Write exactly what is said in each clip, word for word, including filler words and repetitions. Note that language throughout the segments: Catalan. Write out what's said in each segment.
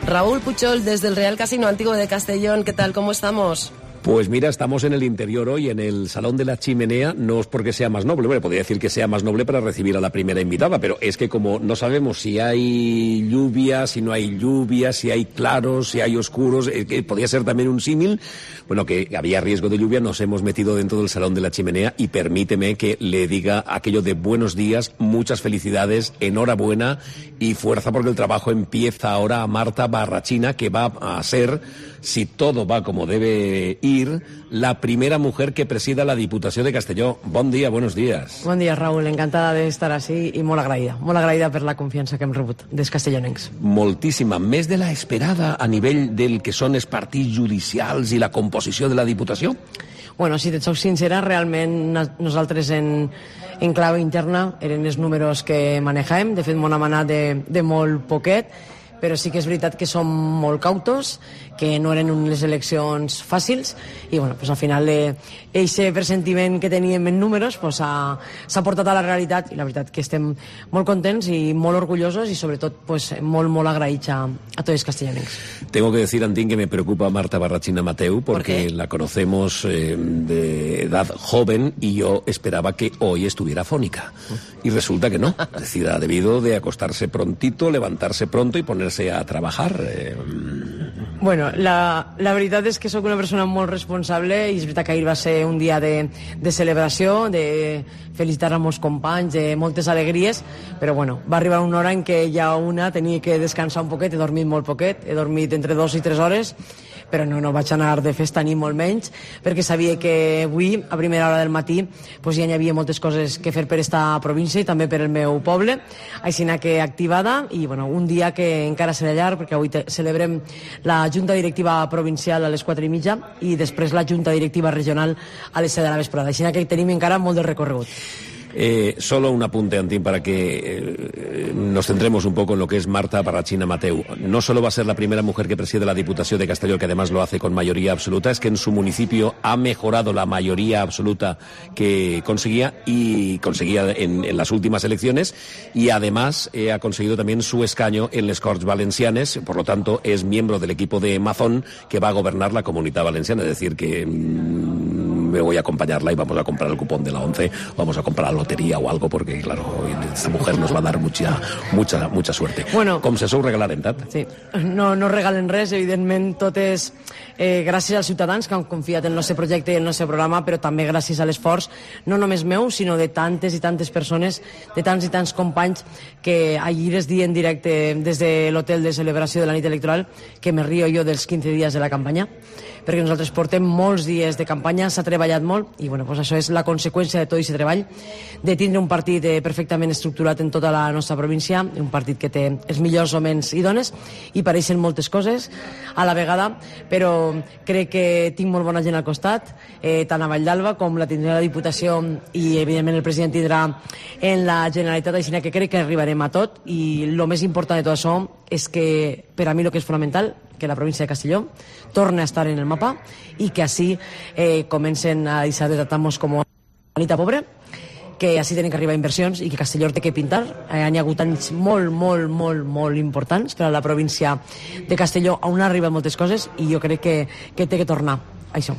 Raúl Puchol, desde el Real Casino Antiguo de Castellón. ¿Qué tal? ¿Cómo estamos? Pues mira, estamos en el interior hoy, en el Salón de la Chimenea. No es porque sea más noble, bueno, podría decir que sea más noble para recibir a la primera invitada, pero es que como no sabemos si hay lluvia, si no hay lluvia, si hay claros, si hay oscuros, eh, que podría ser también un símil, bueno, que había riesgo de lluvia, nos hemos metido dentro del Salón de la Chimenea y permíteme que le diga aquello de buenos días, muchas felicidades, enhorabuena y fuerza porque el trabajo empieza ahora a Marta Barrachina, que va a ser, si todo va como debe ir, la primera mujer que presida la Diputació de Castelló. Bon dia, buenos días. Bon dia, Raúl, encantada d'estar així i molt agraïda, molt agraïda per la confiança que hem rebut dels castellonencs. Moltíssima, més de la esperada a nivell del que són els partits judicials i la composició de la Diputació? Bueno, si et soc sincera, realment nosaltres en, en clau interna eren els números que manejàvem, de fet m'ho hem anat de, de molt poquet, però sí que és veritat que som molt cautos, que no eren unes eleccions fàcils i bueno, pues al final aquest pressentiment que teníem en números pues, s'ha portat a la realitat i la veritat que estem molt contents i molt orgullosos y sobre tot pues, molt, molt agraïts a, a tots els castellonencs. Tengo que decir, Antín, que me preocupa Marta Barrachina Mateu porque ¿Por la conocemos eh, de edad joven y yo esperaba que hoy estuviera afónica y resulta que no, es decir, ha debido de acostarse prontito, levantarse pronto y ponerse a trabajar. Eh, Bueno, la, la veritat és que sóc una persona molt responsable i és veritat que ahir va ser un dia de, de celebració, de felicitar a molts companys, de moltes alegries, però bueno, va arribar una hora en què ja una tenia que descansar un poquet, he dormit molt poquet, he dormit entre dos i tres hores, però no, no vaig anar de festa ni molt menys, perquè sabia que avui, a primera hora del matí, pues ja hi havia moltes coses que fer per esta província i també per el meu poble, així que activada, i bueno, un dia que encara serà llarg, perquè avui te, celebrem la Junta Directiva Provincial a les quatre i mitja i després la Junta Directiva Regional a les set de la vesprada, així que tenim encara molt de recorregut. Eh, solo un apunte, Antín, para que eh, nos centremos un poco en lo que es Marta Barrachina Mateu. No solo va a ser la primera mujer que preside la Diputación de Castelló, que además lo hace con mayoría absoluta, es que en su municipio ha mejorado la mayoría absoluta que conseguía y conseguía en, en las últimas elecciones y además eh, ha conseguido también su escaño en les Corts Valencianes, por lo tanto es miembro del equipo de Mazón que va a gobernar la Comunidad Valenciana, es decir que mmm, me voy a acompañarla y vamos a comprar el cupón de la once, vamos a comprar la lotería o algo, porque claro, esta mujer nos va a dar mucha, mucha, mucha suerte. Bueno, com se sou regalarem tant? Sí, no, no regalen res, evidentment tot és eh, gràcies als ciutadans que han confiat en el nostre projecte i en el nostre programa, però també gràcies a l'esforç, no només meu, sinó de tantes i tantes persones, de tants i tants companys que ahir es dia en directe des de l'hotel de celebració de la nit electoral que me río jo dels quinze dies de la campanya, perquè nosaltres portem molts dies de campanya, s'ha treballat molt i bueno, pues això és la conseqüència de tot aquest treball, de tindre un partit eh, perfectament estructurat en tota la nostra província, un partit que té els millors homes i dones i pareixen moltes coses a la vegada, però crec que tinc molt bona gent al costat, eh, tant a Vall d'Alba com la tindrà la Diputació i evidentment el president tindrà en la Generalitat, així que crec que arribarem a tot i el més important de tot això és que per a mi el que és fonamental que la província de Castelló torni a estar en el mapa i que així eh, comencen a deixar de tratar-nos com a Anita Pobre, que així tenen que arribar inversions i que Castelló té que pintar. Eh, hi ha hagut anys molt, molt, molt, molt importants per a la província de Castelló on arriben moltes coses i jo crec que, que té que tornar a això.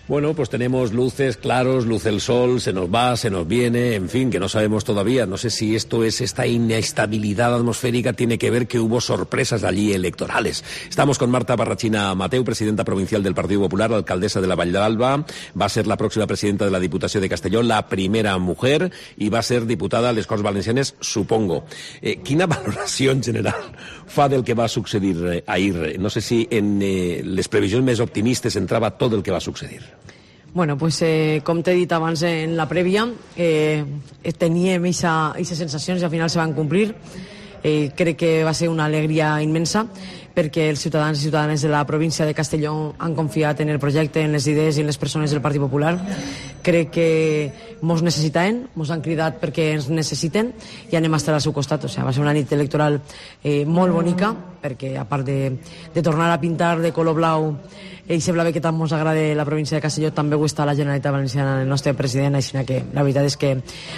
Bueno, pues tenemos luces, claros, luce el sol, se nos va, se nos viene, en fin, que no sabemos todavía. No sé si esto es esta inestabilidad atmosférica, tiene que ver que hubo sorpresas allí electorales. Estamos con Marta Barrachina Mateu, presidenta provincial del Partido Popular, alcaldesa de la Vall d'Alba, va a ser la próxima presidenta de la Diputació de Castelló, la primera mujer, y va a ser diputada a les Corts Valencianes, supongo. Eh, quina valoració en general fa del que va succedir eh, ahir? No sé si en eh, les previsions més optimistes entrava tot el que va succedir. Bueno, pues eh, com t'he dit abans en la prèvia, eh, teníem aquestes sensacions i al final se van complir. Eh, crec que va ser una alegria immensa perquè els ciutadans i ciutadanes de la província de Castelló han confiat en el projecte, en les idees i en les persones del Partit Popular. Crec que mos necessitaven, mos han cridat perquè ens necessiten i anem a estar al seu costat. O sigui, va ser una nit electoral eh, molt bonica, perquè a part de, de tornar a pintar de color blau i sembla bé que tant ens agrada la província de Castelló, també ho està la Generalitat Valenciana, el nostre president, així que la veritat és que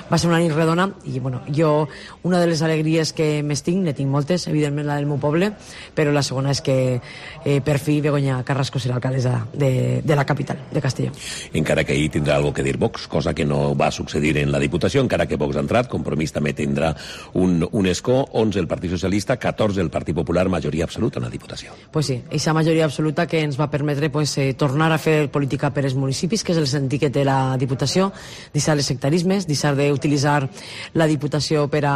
va ser una nit redona i bueno, jo una de les alegries que més tinc, ne tinc moltes, evidentment la del meu poble, però la segona és que eh, per fi Begoña Carrasco serà alcaldessa de, de la capital, de Castelló. Encara que ahir tindrà algo que dir Vox, cosa que no va succeir en la Diputació, encara que Vox ha entrat, Compromís també tindrà un, un escó, onze el Partit Socialista, catorze el Partit Popular, majoria absoluta en la Diputació. Pues sí, aquesta majoria absoluta que ens va permetre pues, eh, tornar a fer política per als municipis, que és el sentit que té la Diputació, deixar els sectarismes, deixar d'utilitzar la Diputació per a,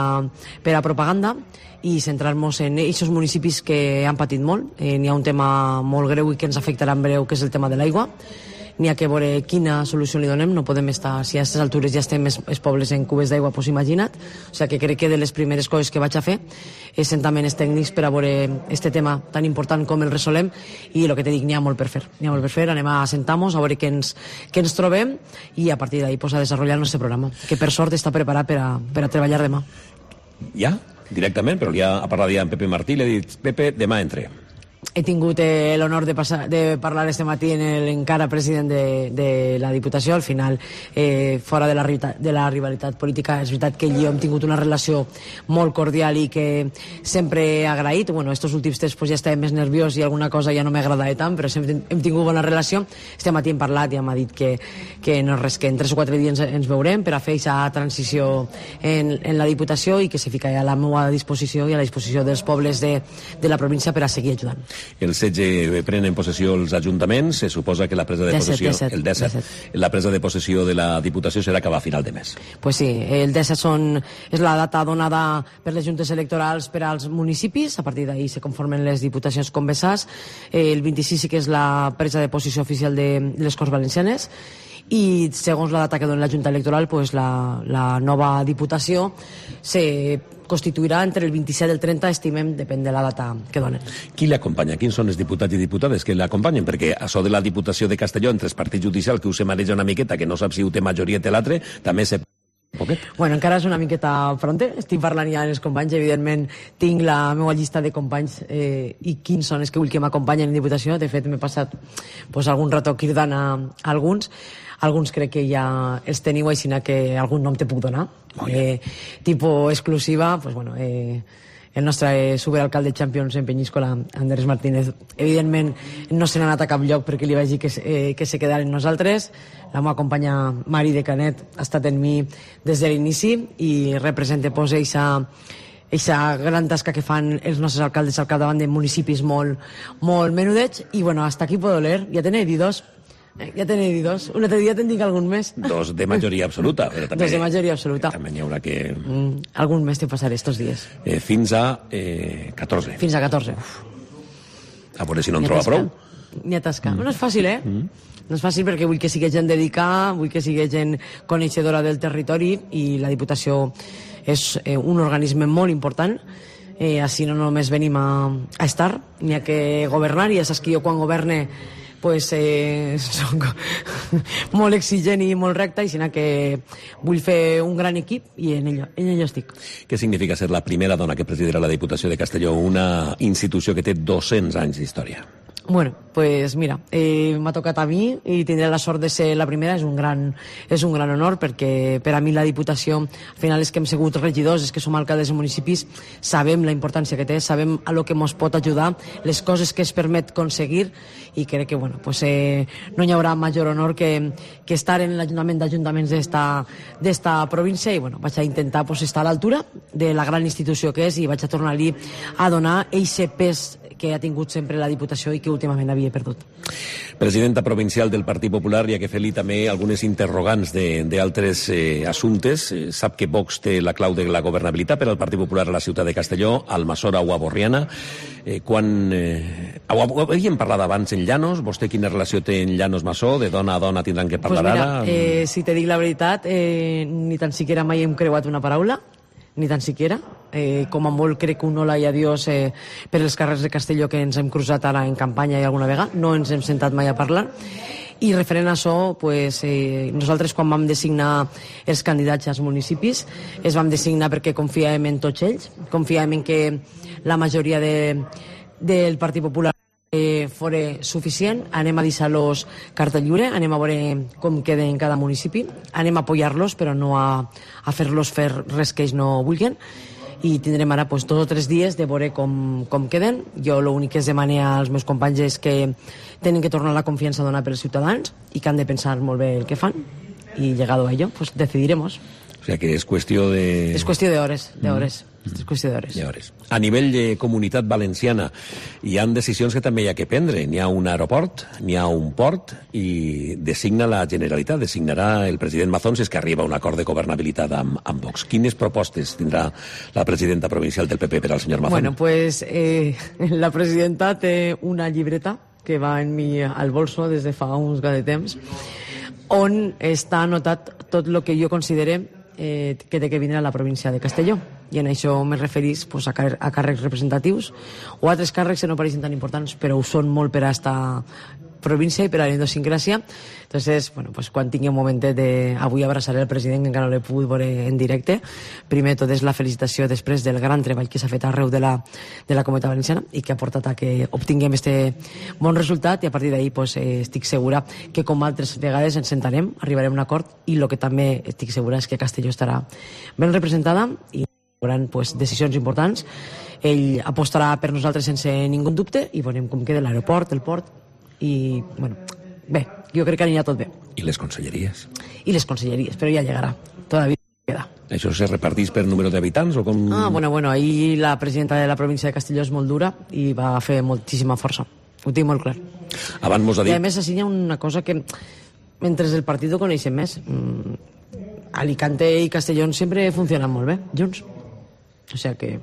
per a propaganda i centrar-nos en aquests municipis que han patit molt. Eh, n'hi ha un tema molt greu i que ens afectarà en breu, que és el tema de l'aigua. N'hi ha que veure quina solució li donem, no podem estar, si a aquestes altures ja estem els, els pobles en cubes d'aigua, doncs imagina't. O sigui que crec que de les primeres coses que vaig a fer és sentar-me els tècnics per a veure este tema tan important com el resolem i el que te dic, n'hi ha molt per fer. N'hi ha molt per fer, anem a sentar-nos, a veure què ens, què ens trobem i a partir d'ahí pues, a desenvolupar el nostre programa, que per sort està preparat per a, per a treballar demà. Ja? Directament? Però li ha parlat ja en Pepe Martí, li ha dit, Pepe, demà entre. He tingut eh, l'honor de, de parlar este matí en el encara president de, de la Diputació. Al final, eh, fora de la, de la rivalitat política, és veritat que ell i jo hem tingut una relació molt cordial i que sempre he agraït. Bueno, estos últims temps pues, ja estava més nerviós i alguna cosa ja no m'agradava tant, però sempre hem tingut bona relació. Este matí hem parlat i ja m'ha dit que, que no res, que en tres o quatre dies ens, ens veurem per a fer aquesta transició en, en la Diputació i que se fica a la meva disposició i a la disposició dels pobles de, de la província per a seguir ajudant. El setze prenen possessió els ajuntaments, se suposa que la presa de possessió el disset, la presa de possessió de la Diputació serà cap a final de mes. Pues sí, el disset són, és la data donada per les juntes electorals per als municipis, a partir d'ahir se conformen les diputacions convesades, el vint-i-sis sí que és la presa de possessió oficial de les Corts Valencianes i segons la data que dona la Junta Electoral pues la, la nova Diputació se constituirà entre el vint-i-set i el trenta, estimem, depèn de la data que donen. Qui l'acompanya? Quins són els diputats i diputades que l'acompanyen? Perquè això de la Diputació de Castelló entre els partits judicials, que us se mareja una miqueta, que no sap si ho té majoria té l'altre, també se... Poquet. Bueno, encara és una miqueta fronte, estic parlant ja amb els companys, evidentment tinc la meva llista de companys eh, i quins són els que vull que m'acompanyen en Diputació. De fet m'he passat pues, algun rato cridant a, a alguns, alguns crec que ja els teniu, així que algun nom te puc donar, eh, tipus exclusiva, pues, bueno, eh, el nostre superalcalde Champions en Peñíscola, Andrés Martínez, evidentment no se n'ha anat a cap lloc perquè li vaig dir que, eh, que se quedaren nosaltres. La meva companya Mari de Canet ha estat en mi des de l'inici i representa pues, eixa, eixa gran tasca que fan els nostres alcaldes al capdavant de municipis molt, molt menudets i bueno, hasta aquí puedo leer, ja tenen dit dos. Ja tenen dit dos. Un altre dia te'n dic algun més. Dos de majoria absoluta. Però també, dos de majoria absoluta. També n'hi haurà que... Mm, algun més te passaré estos dies. Eh, fins a eh, catorze. Fins a catorze. Uf. A veure si no en troba prou. Ni a tascar. Mm. No és fàcil, eh? Mm. No és fàcil perquè vull que sigui gent dedicada, vull que sigui gent coneixedora del territori i la Diputació és eh, un organisme molt important. Eh, així no només venim a, a estar, ni a que governar, i ja saps que jo quan governe pues, eh, soc molt exigent i molt recte, i sinó que vull fer un gran equip i en ello, en ello estic. Què significa ser la primera dona que presidirà la Diputació de Castelló, una institució que té dos-cents anys d'història? Bueno, pues mira, eh, m'ha tocat a mi i tindré la sort de ser la primera, és un gran, és un gran honor perquè per a mi la Diputació, al final és que hem sigut regidors, és que som alcaldes de municipis, sabem la importància que té, sabem a lo que ens pot ajudar, les coses que es permet aconseguir i crec que bueno, pues, eh, no hi haurà major honor que, que estar en l'Ajuntament d'Ajuntaments d'esta província i bueno, vaig a intentar pues, estar a l'altura de la gran institució que és i vaig a tornar-li a donar eixe pes que ha tingut sempre la Diputació i que últimament havia perdut. Presidenta provincial del Partit Popular, hi ha que fer-li també algunes interrogants d'altres eh, assumptes. Eh, sap que Vox té la clau de la governabilitat per al Partit Popular a la ciutat de Castelló, Almassora o a Borriana. Eh, quan... Eh, havíem parlat abans en Llanos, vostè quina relació té en Llanos Massó, de dona a dona tindran que parlar pues mira, ara? Eh, si te dic la veritat, eh, ni tan siquiera mai hem creuat una paraula, ni tan siquiera. Eh, com a molt crec un hola i adiós eh, per els carrers de Castelló que ens hem cruzat ara en campanya i alguna vegada, no ens hem sentat mai a parlar I referent a això, pues, eh, nosaltres quan vam designar els candidats als municipis, es vam designar perquè confiàvem en tots ells, confiàvem en que la majoria de, del Partit Popular eh, fora suficient. Anem a deixar-los carta lliure, anem a veure com queda en cada municipi, anem a apoyar-los però no a, a fer-los fer res que ells no vulguin, i tindrem ara pues, dos o tres dies de veure com, com queden. Jo l'únic que es demane als meus companys és que tenen que tornar la confiança donada pels ciutadans i que han de pensar molt bé el que fan, i llegado a ello pues decidiremos. O sea que es cuestión de... Es cuestión de hores, de hores. Mm. És qüestió d'hores. hores. A nivell de comunitat valenciana hi han decisions que també hi ha que prendre. N'hi ha un aeroport, n'hi ha un port i designa la Generalitat, designarà el president Mazón si és que arriba a un acord de governabilitat amb, amb Vox. Quines propostes tindrà la presidenta provincial del P P per al senyor Mazón? Bueno, pues eh, la presidenta té una llibreta que va en mi al bolso des de fa uns gat de temps on està anotat tot el que jo considere eh, que té que vindre a la província de Castelló, i en això me referís pues, a, car a càrrecs representatius o altres càrrecs que no pareixen tan importants però ho són molt per a esta província i per a l'endosincràcia. Entonces, bueno, pues, quan tingui un momentet de... Avui abraçaré el president, que encara no l'he pogut veure en directe. Primer tot és la felicitació després del gran treball que s'ha fet arreu de la, de la Comunitat Valenciana i que ha portat a que obtinguem este bon resultat, i a partir d'ahir pues, eh, estic segura que com altres vegades ens sentarem, arribarem a un acord, i el que també estic segura és que Castelló estarà ben representada i hi haurà pues, decisions importants. Ell apostarà per nosaltres sense ningú dubte i veurem com queda l'aeroport, el port, i, bueno, bé, jo crec que anirà tot bé. I les conselleries? I les conselleries, però ja llegarà. Todavía queda. Això se reparteix per número d'habitants o com...? Ah, bueno, bueno, ahir la presidenta de la província de Castelló és molt dura i va fer moltíssima força. Ho tinc molt clar. Abans mos ha dit... I a més, així hi ha una cosa que, mentre el partit ho coneixem més, Alicante i Castelló sempre funcionen molt bé, junts. O sea que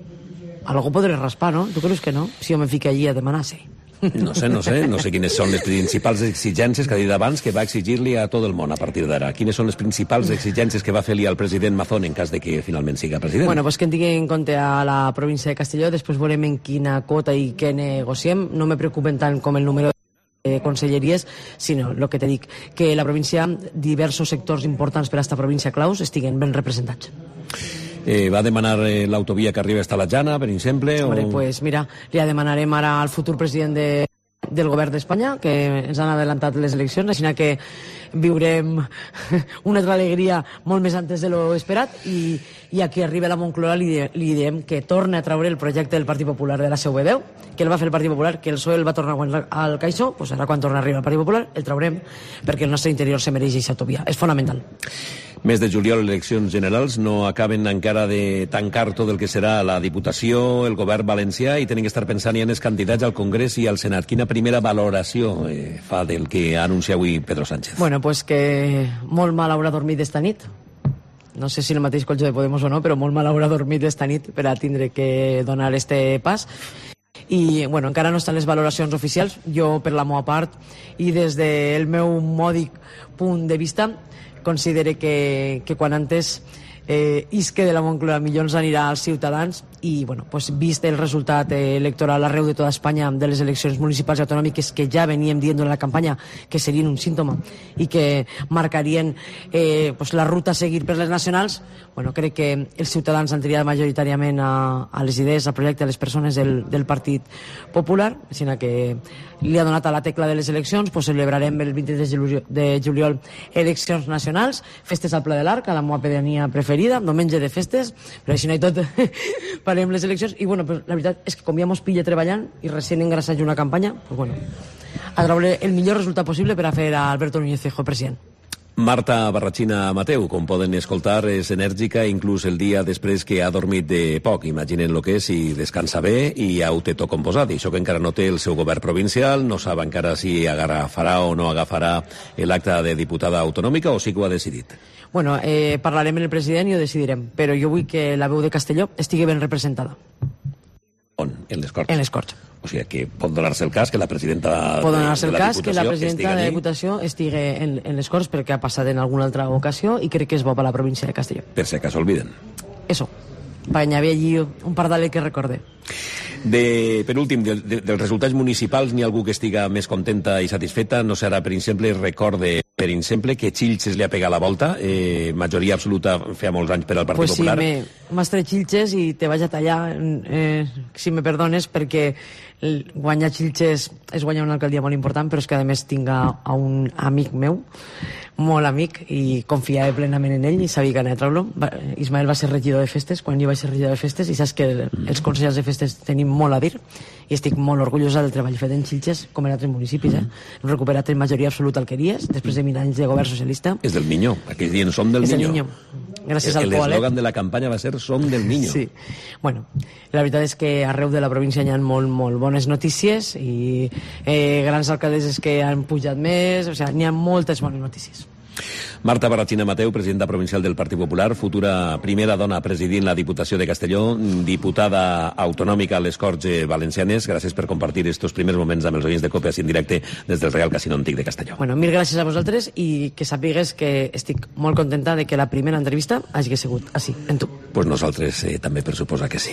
algo podré raspar, ¿no? ¿Tú crees que no? Si jo me fique allí a demanar, sí. No sé, no sé, no sé quines són les principals exigències que ha dit abans que va exigir-li a tot el món a partir d'ara. Quines són les principals exigències que va fer-li al president Mazón en cas de que finalment siga president? Bueno, pues que en tingui en compte a la província de Castelló, després veurem en quina quota i què negociem. No me preocupen tant com el número de conselleries, sinó el que te dic, que la província, diversos sectors importants per a esta província claus estiguen ben representats. Eh, va demanar eh, l'autovia que arriba hasta la Jana, per exemple? Hombre, o... pues mira, li demanarem ara al futur president de, del govern d'Espanya, que ens han adelantat les eleccions, així que viurem una altra alegria molt més antes de lo esperat, i, i a qui arriba a la Moncloa li, li diem que torna a traure el projecte del Partit Popular de la seu ve deu, que el va fer el Partit Popular, que el P S O E el va tornar al caixó, pues ara quan torna a arribar el Partit Popular el traurem, perquè el nostre interior se mereix aquesta autovia, és fonamental. Mes de juliol, eleccions generals, no acaben encara de tancar tot el que serà la Diputació, el govern valencià, i tenen que estar pensant ja en els candidats al Congrés i al Senat. Quina primera valoració eh, fa del que anuncia avui Pedro Sánchez? Bueno, pues que molt mal haurà dormit esta nit. No sé si el mateix colxó de Podemos o no, però molt mal haurà dormit esta nit per a tindre que donar este pas. I, bueno, encara no estan les valoracions oficials. Jo, per la meva part, i des del meu mòdic punt de vista, considere que, que quan antes eh, isque de la Moncloa millor ens anirà als ciutadans, i bueno, pues, vist el resultat eh, electoral arreu de tota Espanya de les eleccions municipals i autonòmiques, que ja veníem dient en la campanya que serien un símptoma i que marcarien eh, pues, la ruta a seguir per les nacionals, bueno, crec que els ciutadans han triat majoritàriament a, a les idees, al projecte, a les persones del, del Partit Popular, així que li ha donat a la tecla de les eleccions, pues celebrarem el vint-i-tres de juliol eleccions nacionals, festes al Pla de l'Arc, a la meva pedania preferida, diumenge de festes, però així no hi tot farem les eleccions, i bueno, pues, la veritat és que com ja mos pilla treballant i recient engrassat una campanya, pues bueno, a treure el millor resultat possible per a fer a Alberto Núñez Feijóo president. Marta Barrachina Mateu, com poden escoltar, és enèrgica inclús el dia després que ha dormit de poc. Imaginen el que és i descansa bé i ja ho té tot composat. I això que encara no té el seu govern provincial, no sap encara si agafarà o no agafarà l'acte de diputada autonòmica o sí que ho ha decidit. Bueno, eh, parlarem amb el president i ho decidirem, però jo vull que la veu de Castelló estigui ben representada. On? En les Corts? En les Corts. O sigui que pot donar-se el cas que la presidenta pot donar-se el de la cas que la presidenta de la Diputació estigui en, en les Corts, perquè ha passat en alguna altra ocasió i crec que és bo per la província de Castelló. Per si acaso olviden. Eso, para añadir allí un pardal que recordé. De, per últim, de, de, dels resultats municipals, n'hi ha algú que estiga més contenta i satisfeta? No serà, per exemple, recorde, per exemple, que Xilxes li ha pegat la volta, eh, majoria absoluta feia molts anys per al Partit pues Popular. Pues sí, m'has tret Xilxes i te vaig a tallar, eh, si me perdones, perquè guanyar Xilxes és guanyar una alcaldia molt important, però és que a més tinc a, a un amic meu, molt amic, i confiava plenament en ell i sabia que anava a treure-lo. Ismael va ser regidor de festes quan jo vaig ser regidor de festes, i saps que els consellers de festes tenim molt a dir, i estic molt orgullosa del treball fet en Xilxes, com en altres municipis. Eh? Hem recuperat en majoria absoluta alqueries, després de mil anys de govern socialista. És del Niño, aquell dia no som del és Niño. Niño. Gràcies al Coalet. L'eslògan de la campanya va ser Som del Niño. Sí. Bueno, la veritat és que arreu de la província hi ha molt, molt bones notícies i eh, grans alcaldesses que han pujat més, o sigui, n'hi ha moltes bones notícies. Marta Barrachina Mateu, presidenta provincial del Partit Popular, futura primera dona presidint la Diputació de Castelló, diputada autonòmica a les Corts Valencianes. Gràcies per compartir estos primers moments amb els oients de Cope en directe des del Real Casino Antic de Castelló. Bueno, mil gràcies a vosaltres i que sàpigues que estic molt contenta de que la primera entrevista hagi sigut així, en tu. Pues nosaltres eh, també per suposar que sí.